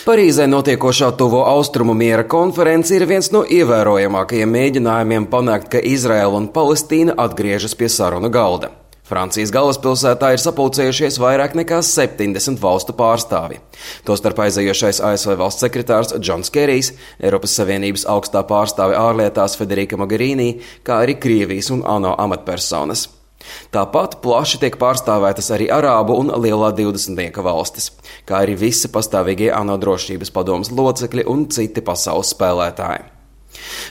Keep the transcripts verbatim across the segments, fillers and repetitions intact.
Parīzē notiekošā tuvo austrumu miera konference ir viens no ievērojamākajiem mēģinājumiem panākt, ka Izraela un Palestīna atgriežas pie sarunu galda. Francijas galvaspilsētā ir sapulcējušies vairāk nekā septiņdesmit valstu pārstāvji. Tostarp aizējošais A S V valsts sekretārs Džons Kerijs, Eiropas Savienības augstā pārstāve ārlietās Federica Mogherini, kā arī Krievijas un ANO amatpersonas. Tāpat plaši tiek pārstāvētas arī Arābu un Lielā divdesmitnieka valstis, kā arī visi pastāvīgie ANO drošības padomes locekļi un citi pasaules spēlētāji.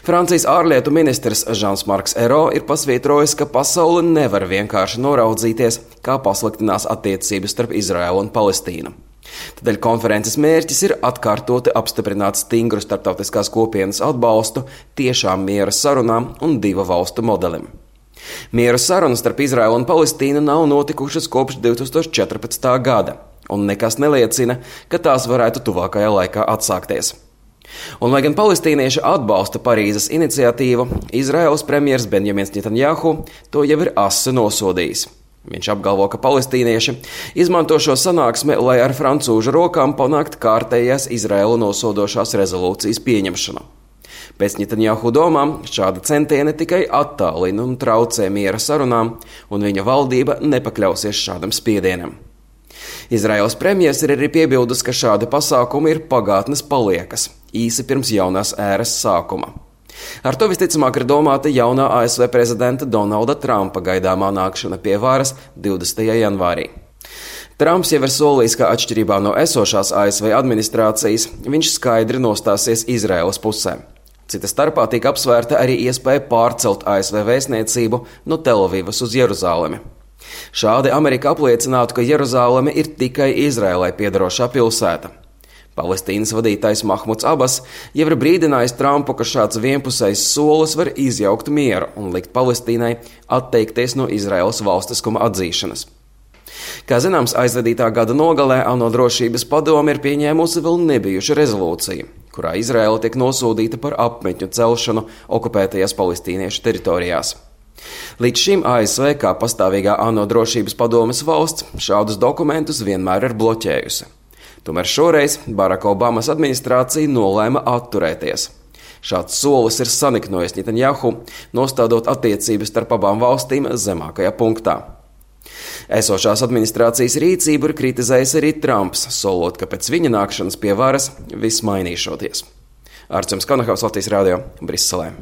Francijas ārlietu ministrs Žans-Marks Ero ir pasvītrojis, ka pasaule nevar vienkārši noraudzīties, kā pasliktinās attiecības starp Izraēlu un Palestīnu. Tādēļ konferences mērķis ir atkārtoti apstiprināt stingru starptautiskās kopienas atbalstu tiešām miera sarunām un divu valstu modelim. Miera sarunas starp Izraēlu un Palestīnu nav notikušas kopš divi tūkstoši četrpadsmitā gada, un nekas neliecina, ka tās varētu tuvākajā laikā atsākties. Un, lai gan palestīnieši atbalsta Parīzes iniciatīvu, Izraēlas premjers Benjamins Netanjahu to jau ir asi nosodījis. Viņš apgalvo, ka palestīnieši izmanto šo sanāksmi, lai ar francūžu rokām panākt kārtējās Izraēlu nosodošās rezolūcijas pieņemšanu. Pēc Netanjahu domām šāda centieni tikai attālina un traucē miera sarunām, un viņa valdība nepakļausies šādam spiedienam. Izraēlas premjers ir arī piebildus, ka šādi pasākumi ir pagātnes paliekas, īsi pirms jaunās ēras sākuma. Ar to visticamāk ir domāta jaunā A S V prezidenta Donalda Trumpa gaidāmā nākšana pie varas divdesmitajā janvārī. Trumps jau ir solījis, ka atšķirībā no esošās A S V administrācijas viņš skaidri nostāsies Izraēlas pusē. Cita starpā tika apsvērta arī iespēja pārcelt A S V vēstniecību no Telavivas uz Jeruzālemi. Šādi Amerika apliecinātu, ka Jeruzāleme ir tikai Izraēlai piederošā pilsēta. Palestīnas vadītājs Mahmuds Abas jau ir brīdinājis Trumpu, ka šāds vienpusējs solis var izjaukt mieru un likt Palestīnai atteikties no Izraēlas valstiskuma atzīšanas. Kā zināms, aizvadītā gada nogalē ANO drošības padome ir pieņēmusi vēl nebijušu rezolūciju, kurā Izraēla tiek nosodīta par apmetņu celšanu okupētajās palestīniešu teritorijās. Līdz šim A S V kā pastāvīgā ANO drošības padomes valsts šādus dokumentus vienmēr ir bloķējusi. Tomēr šoreiz Baraka Obamas administrācija nolēma atturēties. Šāds solis ir saniknojis Netanjahu, nostādot attiecības starp abām valstīm zemākajā punktā. Esošās administrācijas rīcību ir kritizējis arī Trumps, solot, ka pēc viņa nākšanas pie varas viss mainīšoties. Arčuns Kanahavs, Latvijas radio, Briselē.